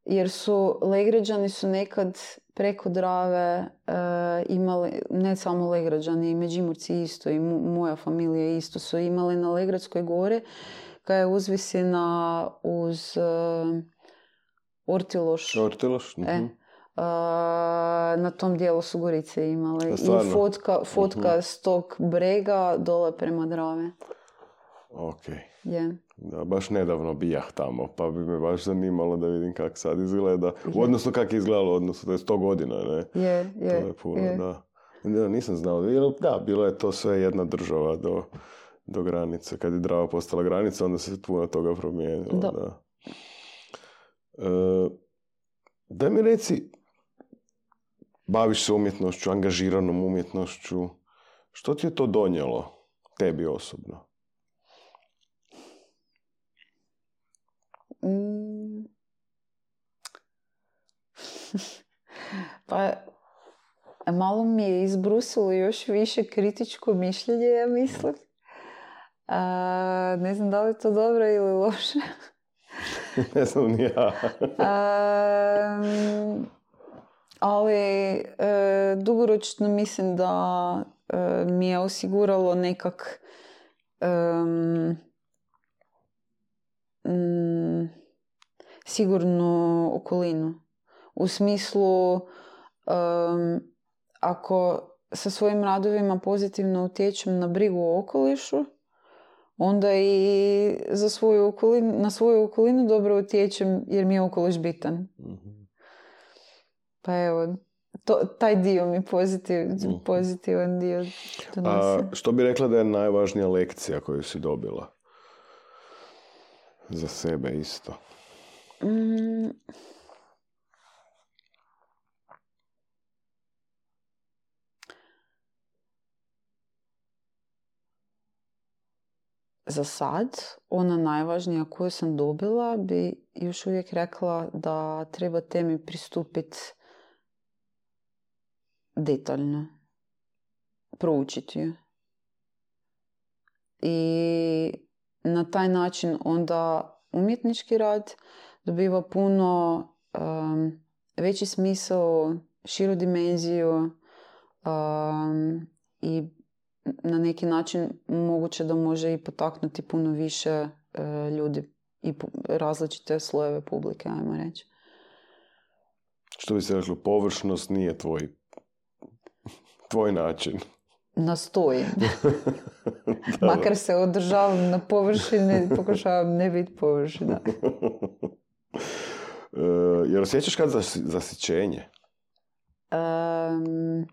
S2: Jer su Legrađani su nekad preko Drave uh, imali, ne samo Legrađani, i Međimurci isto, i mu, moja familija isto su imali na Legradskoj gori, koja je uzvisina uz uh, Ortiloš.
S1: Ortiloš? Uh-huh.
S2: E, uh, na tom dijelu su Gorice imali. I fotka, fotka uh-huh. s tog brega dole prema Drave.
S1: Ok.
S2: Je.
S1: Da, baš nedavno bijah tamo, pa bi me baš zanimalo da vidim kako sad izgleda. U odnosu kako je izgledalo, odnosno to je sto godina, ne?
S2: Je, je.
S1: To je puno, je. Da. Da, nisam znao. Da, bilo je to sve jedna država do... do granice. Kad je Drava postala granica, onda se puno toga promijenilo. Da. Da. E, daj mi reci, baviš se umjetnošću, angažiranom umjetnošću, što ti je to donijelo, tebi osobno?
S2: Mm. Pa, malo mi je izbrusilo još više kritičko mišljenje, ja mislim. A, ne znam da li je to dobro ili loše.
S1: Ne znam ni ja.
S2: A, ali e, dugoročno mislim da e, mi je osiguralo nekak um, um, sigurnu okolinu. U smislu um, ako sa svojim radovima pozitivno utječem na brigu o okolišu, onda i za svoju okolinu, na svoju okolinu dobro utječem jer mi je okoliš bitan. Mm-hmm. Pa evo, to, taj dio mi pozitiv, pozitivan dio donosi.
S1: A što bi rekla da je najvažnija lekcija koju si dobila? Za sebe isto.
S2: Mm. Za sad, ona najvažnija koju sam dobila bi još uvijek rekla da treba temi pristupiti detaljno. Proučiti ju. I na taj način onda umjetnički rad dobiva puno um, veći smisao, širu dimenziju um, i na neki način moguće da može i potaknuti puno više uh, ljudi i pu- različite slojeve publike, ajmo reći.
S1: Što bi se reklo, površnost nije tvoj, tvoj način.
S2: Nastojim. Makar se održavam na površini, pokušavam ne biti površina.
S1: Uh, jer osjećaš kad zas, zasićenje?
S2: Um,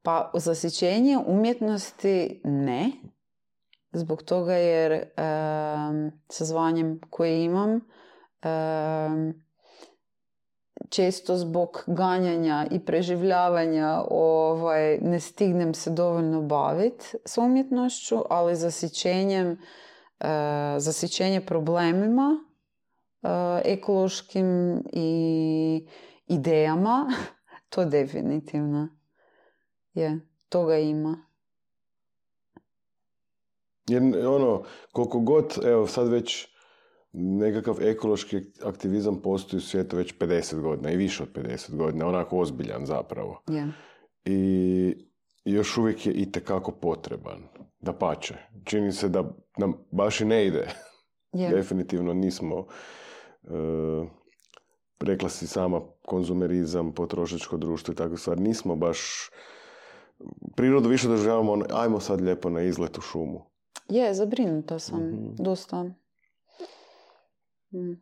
S2: pa zasićenje umjetnosti ne. Zbog toga jer um, sa zvanjem koje imam um, često zbog ganjanja i preživljavanja ovaj, ne stignem se dovoljno baviti s umjetnošću, ali zasićenjem, uh, zasićenje problemima, uh, ekološkim i idejama, to definitivno je, toga ima.
S1: Jer ono, koliko god, evo sad već nekakav ekološki aktivizam postoji u svijetu već pedeset godina i više od pedeset godina, onako ozbiljan zapravo.
S2: Yeah.
S1: I još uvijek je itekako potreban. Dapače. Čini se da nam baš i ne ide.
S2: Yeah.
S1: Definitivno nismo, uh, rekla si sama, konzumerizam, potrošačko društvo i takve stvari. Nismo baš, prirodu više doživljavamo, ono, ajmo sad lijepo na izlet u šumu.
S2: Je, zabrinuta sam.
S1: Mm-hmm.
S2: Dosta. Mm.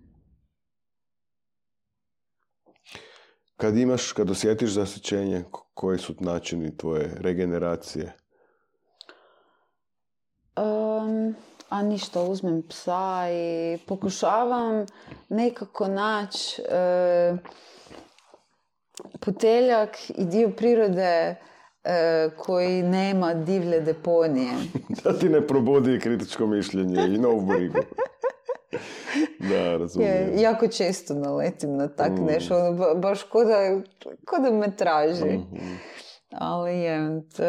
S1: Kad imaš, kad osjetiš zasićenje, koji su načini tvoje regeneracije?
S2: Um, a ništa, uzmem psa i pokušavam nekako naći uh, puteljak i dio prirode uh, koji nema divlje deponije.
S1: Da ti ne probudi kritičko mišljenje i novu brigu. Da, razumijem.
S2: Je, jako često naletim na tak mm. nešto, ono, ba, baš ko da, ko da me traži. Mm-hmm. Ali je, t,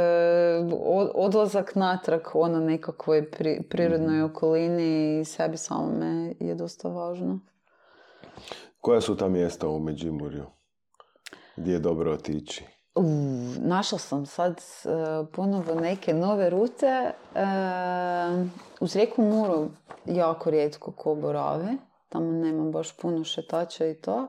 S2: odlazak natrag ono nekakvoj pri, prirodnoj mm-hmm. okolini i sebi samome je dosta važno.
S1: Koja su ta mjesta u Međimurju gdje je dobro otići?
S2: Uh, našla sam sad uh, ponovo neke nove rute. Uh, uz rijeku Muru jako rijetko ko borave. Tamo nema baš puno šetača i to.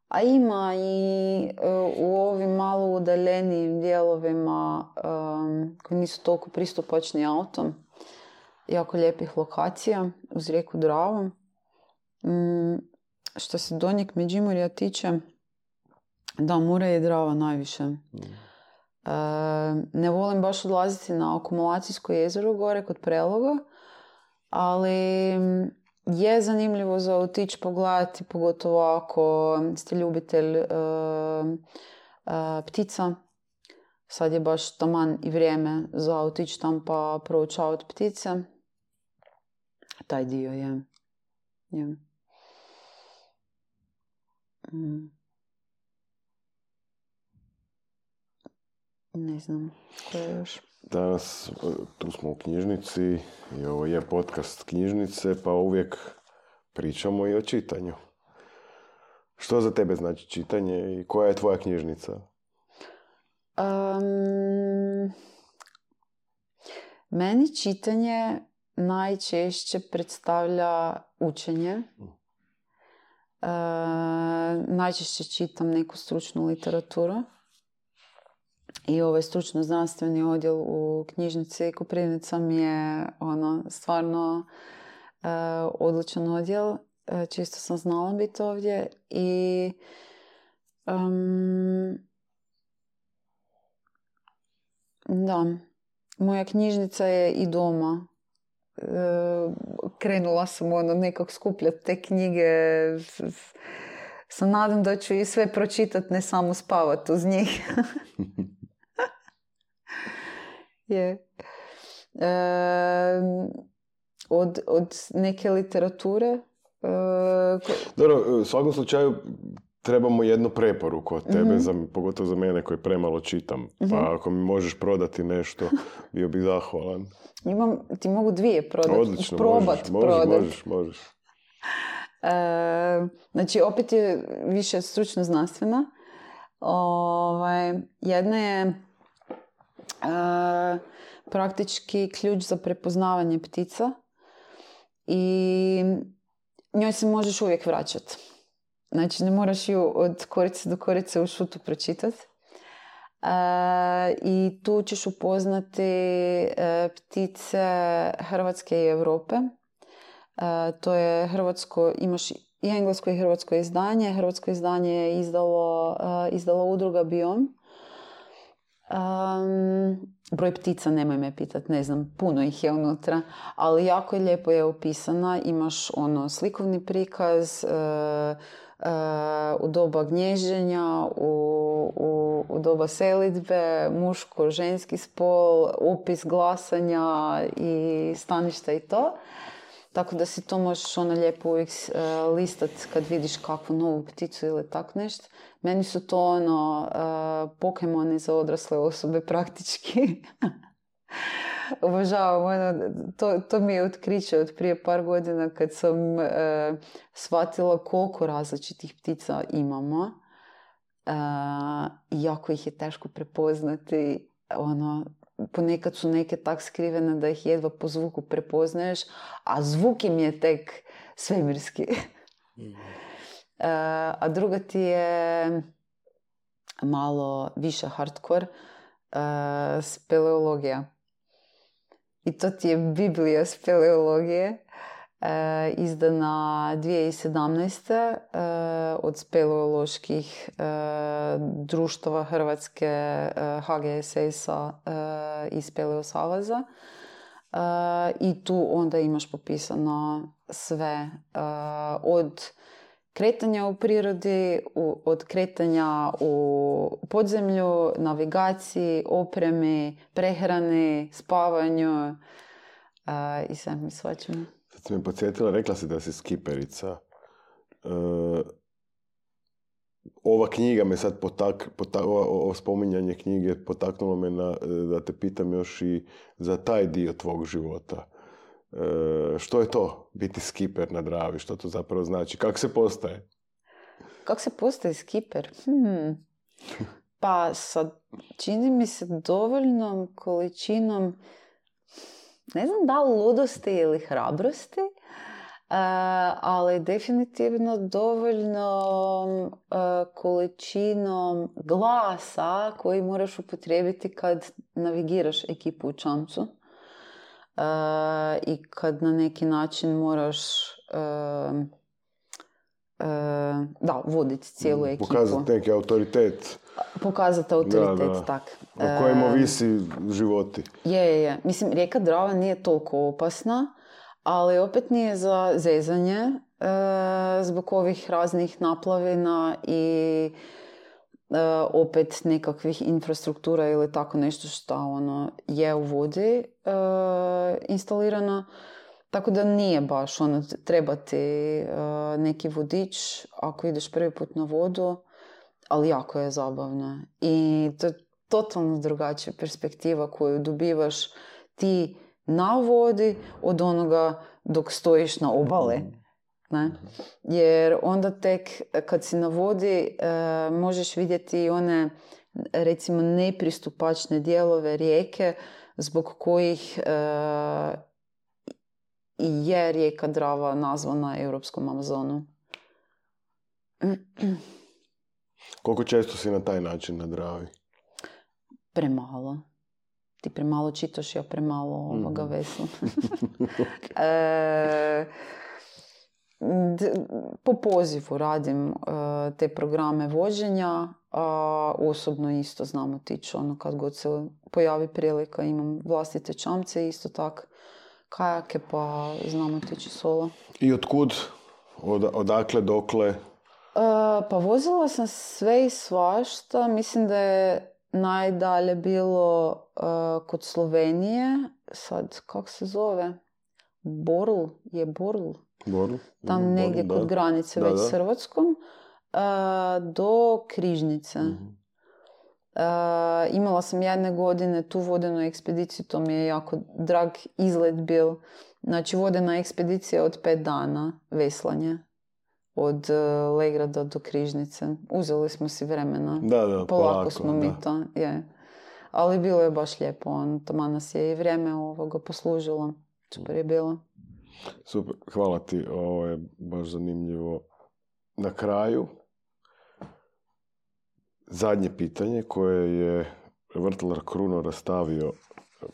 S2: A ima i uh, u ovim malo udaljenijim dijelovima um, koji nisu toliko pristupačni autom. Jako lijepih lokacija uz rijeku Dravu. Um, što se donjeg Međimurja tiče, da, Mura i Drava najviše. Mm. E, ne volim baš odlaziti na akumulacijsko jezero gore kod Preloga, ali je zanimljivo za otići pogledati, pogotovo ako ste ljubitelj e, e, ptica. Sad je baš taman i vrijeme za otići tam pa proučavati ptice. Taj dio je. je. Mm. Ne znam, ko je još?
S1: Danas tu smo u knjižnici i ovo je podcast knjižnice, pa uvijek pričamo i o čitanju. Što za tebe znači čitanje i koja je tvoja knjižnica?
S2: Um, meni čitanje najčešće predstavlja učenje. Uh, najčešće čitam neku stručnu literaturu. I ovaj stručno-znanstveni odjel u knjižnici Koprivnica mi je ono, stvarno uh, odličan odjel. Uh, čisto sam znala biti ovdje. I um, Da. Moja knjižnica je i doma. E, krenula sam ono nekak skupljati te knjige. Sa nadam da ću i sve pročitati, ne samo spavati uz njih. je. E, od, od neke literature. E, ko...
S1: Dobro, u svakom slučaju trebamo jednu preporuku od tebe, mm-hmm. za, pogotovo za mene koji premalo čitam. Mm-hmm. Pa ako mi možeš prodati nešto, bio bih zahvalan.
S2: Imam, ti mogu dvije prodati.
S1: Odlično,
S2: probat
S1: možeš,
S2: prodat.
S1: možeš, možeš.
S2: E, znači, opet je više stručno znanstvena. Ovaj, jedna je e, praktički ključ za prepoznavanje ptica i njoj se možeš uvijek vraćati. Znači, ne moraš ju od korice do korice u šutu pročitati. E, I tu ćeš upoznati e, ptice Hrvatske i Europe. E, to je hrvatsko, imaš i englesko i hrvatsko izdanje. Hrvatsko izdanje je izdalo, uh, izdala udruga Biom. Um, broj ptica, nemoj me pitati, ne znam, puno ih je unutra, ali jako je lijepo je opisana. Imaš ono slikovni prikaz uh, uh, u doba gnježđenja, u, u, u doba selidbe, muško, ženski spol, opis glasanja i staništa i to. Tako da si to možeš ono lijepo uvijek uh, listat kad vidiš kakvu novu pticu ili tako nešto. Meni su to ono uh, Pokemoni za odrasle osobe praktički. Obožavam, ono, to, to mi je otkriće od prije par godina kad sam uh, shvatila koliko različitih ptica imamo. Uh, jako ih je teško prepoznati, ono, ponekad su neke tak skrivene da ih jedva po zvuku prepoznaješ, a zvuk im je tek svemirski. Mm. uh, a druga ti je malo više hardcore, uh, speleologija. I to ti je Biblija speleologije, uh, izdana dvije tisuće sedamnaeste. Uh, od speleoloških uh, društava Hrvatske, uh, H G S S-a uh, i Speleo saveza. Uh, I tu onda imaš popisano sve uh, od kretanja u prirodi, u, od kretanja u podzemlju, navigaciji, opremi, prehrani, spavanju uh, i sve mi svačamo.
S1: Sad si me podsjetila, rekla si da si skiperica. Uh, ova knjiga me sad potak, potak, ovo spominjanje knjige potaknulo me na, da te pitam još i za taj dio tvog života. Uh, što je to biti skiper na Dravi? Što to zapravo znači? Kako se postaje?
S2: Kako se postaje skiper? Hmm. Pa sad, čini mi se dovoljnom količinom, ne znam da li ludosti ili hrabrosti, uh, ali definitivno dovoljnom uh, količinom glasa koji moraš upotrijebiti kad navigiraš ekipu u čamcu. Uh, I kad na neki način moraš uh, uh, da, voditi cijelu ekipu.
S1: Pokazati neki autoritet.
S2: Pokazati autoritet, da, da. Tak.
S1: Na kojem ovisi životi.
S2: Je, je, je. Mislim, rijeka Drava nije toliko opasna, ali opet nije za zezanje e, zbog ovih raznih naplavina i e, opet nekakvih infrastruktura ili tako nešto što ono je u vodi e, instalirano. Tako da nije baš ono, treba ti e, neki vodič ako ideš prvi put na vodu, ali jako je zabavno. I to je totalno drugačija perspektiva koju dobivaš ti na vodi od onoga dok stojiš na obali. Ne? Jer onda tek kad si na vodi e, možeš vidjeti one recimo nepristupačne dijelove rijeke zbog kojih e, i je rijeka Drava nazvana Europskom Amazonu.
S1: Koliko često si na taj način na Dravi?
S2: Premalo. Ti premalo čitaš, ja premalo ovoga vesla. Okay. e, po pozivu radim uh, te programe vođenja, a osobno isto znam otići, ono, kad god se pojavi prilika, imam vlastite čamce, isto tak kajake, pa znam otići solo.
S1: I otkud? Od, odakle, dokle?
S2: Uh, pa vozila sam sve i svašta. Mislim da je najdalje bilo uh, kod Slovenije. Sad, kako se zove? Borl? Je Borl?
S1: Borl?
S2: Tam
S1: mm,
S2: negdje
S1: Borl,
S2: kod
S1: da.
S2: granice
S1: Da,
S2: već
S1: da.
S2: s Hrvatskom. Uh, do Križnice.
S1: Mhm.
S2: Uh, imala sam jedne godine tu vodenu ekspediciju, to mi je jako drag izlet bil. Znači, vodena ekspedicija od pet dana, veslanje. Od uh, Legrada do Križnice. Uzeli smo si vremena.
S1: Da, da,
S2: polako,
S1: polako,
S2: smo mi
S1: da.
S2: to. Je. Ali bilo je baš lijepo. On, tamo nas je i vrijeme ovoga poslužilo. Super je bilo.
S1: Super, hvala ti. Ovo je baš zanimljivo. Na kraju, zadnje pitanje koje je vrtlar Kruno rastavio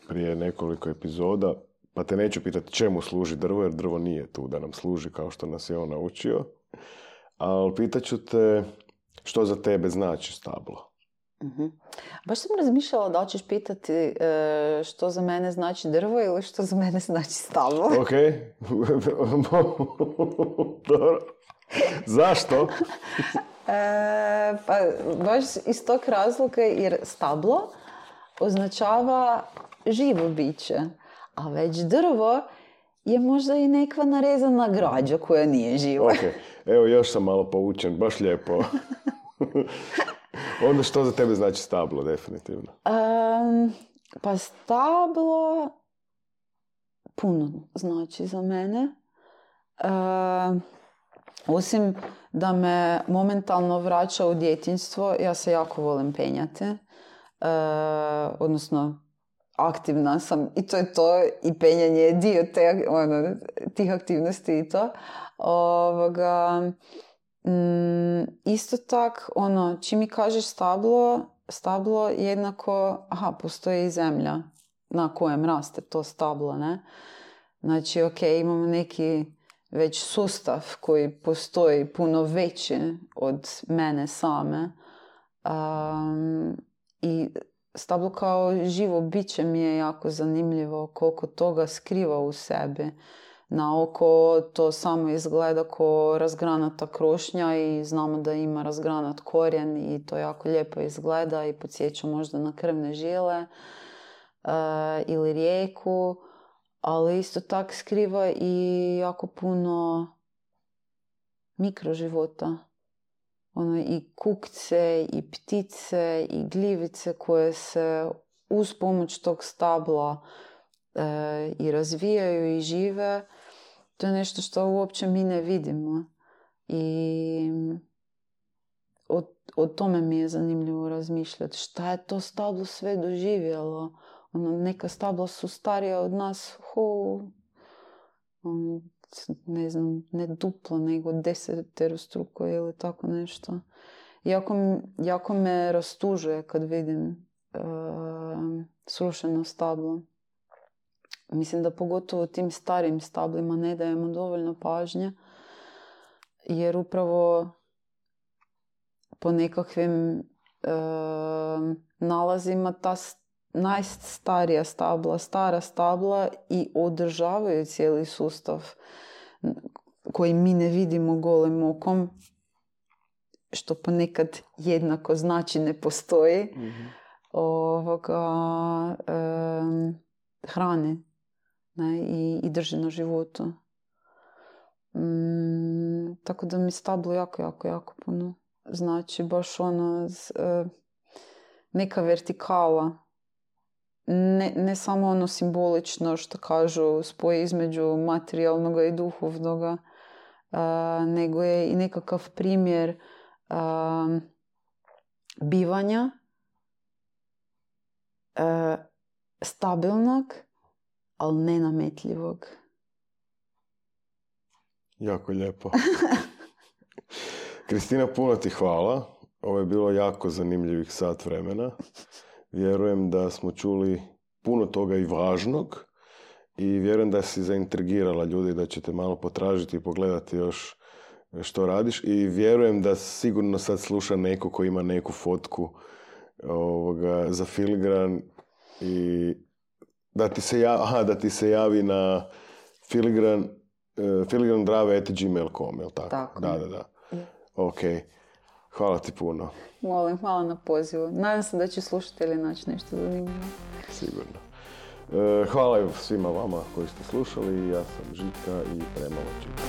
S1: prije nekoliko epizoda, pa te neću pitati čemu služi drvo, jer drvo nije tu da nam služi kao što nas je on naučio, ali pitaću te što za tebe znači stablo.
S2: Uh-huh. Baš sam razmišljala da li ćeš pitati e, što za mene znači drvo ili što za mene znači stablo.
S1: Ok. Dobro. Zašto?
S2: E, pa baš iz tog razloga jer stablo označava živo biće, a već drvo je možda i nekva narezana građa koja nije živa.
S1: Ok, evo još sam malo poučen, baš lijepo. Onda što za tebe znači stablo, definitivno?
S2: Um, pa stablo puno znači za mene. Um, osim da me momentalno vraća u djetinjstvo, ja se jako volim penjati. Uh, odnosno, aktivna sam i to je to, i penjanje je dio te, ono, tih aktivnosti i to. Ovoga, mm, isto tak, ono, čim mi kažeš stablo, stablo jednako, aha, postoji i zemlja na kojem raste to stablo, ne? Znači, ok, imamo neki već sustav koji postoji puno veći od mene same. Um, I stablo kao živo biće mi je jako zanimljivo koliko toga skriva u sebi. Na oko to samo izgleda kao razgranata krošnja i znamo da ima razgranat korijen i to jako lijepo izgleda i podsjeća možda na krvne žile uh, ili rijeku, ali isto tak skriva i jako puno mikroživota. Ono, i kukce, i ptice, i gljivice koje se uz pomoć tog stabla e, i razvijaju i žive. To je nešto što uopće mi ne vidimo. I o, o tome mi je zanimljivo razmišljati. Šta je to stablo sve doživjelo? Ono, neka stabla su starija od nas, ho, ono, ne znam, ne duplo, nego deseterostruko ili tako nešto. Jako, jako me rastužuje kad vidim uh, srušeno stablo. Mislim da pogotovo tim starim stablima ne dajemo dovoljno pažnje, jer upravo po nekakvim uh, nalazima ta najstarija stabla, stara stabla i održavaju cijeli sustav koji mi ne vidimo golim okom, što ponekad jednako znači ne postoji, mm-hmm. ovoga, um, hrane, ne, i, i drži na životu. Um, tako da mi stablo jako, jako, jako puno znači. Baš ono, z, uh, neka vertikala. Ne, ne samo ono simbolično što kažu spoj između materijalnog i duhovnog, uh, nego je i nekakav primjer uh, bivanja uh, stabilnog, ali nenametljivog.
S1: Jako lijepo. Kristina, puno ti hvala. Ovo je bilo jako zanimljivih sat vremena. Vjerujem da smo čuli puno toga i važnog i vjerujem da si zaintrigirala ljudi, da ćete malo potražiti i pogledati još što radiš i vjerujem da sigurno sad sluša neko ko ima neku fotku ovoga, za filigran i da ti se javi, aha, da ti se javi na filigran uh, filigrandrave at gmail dot com, jel tako?
S2: Tako.
S1: Da, da, da. Je. Ok. Hvala ti puno.
S2: Molim, hvala na pozivu. Nadam se da će slušatelji naći nešto zanimljivo.
S1: Sigurno. Uh, hvala svima vama koji ste slušali. Ja sam Žika i premalo čitam.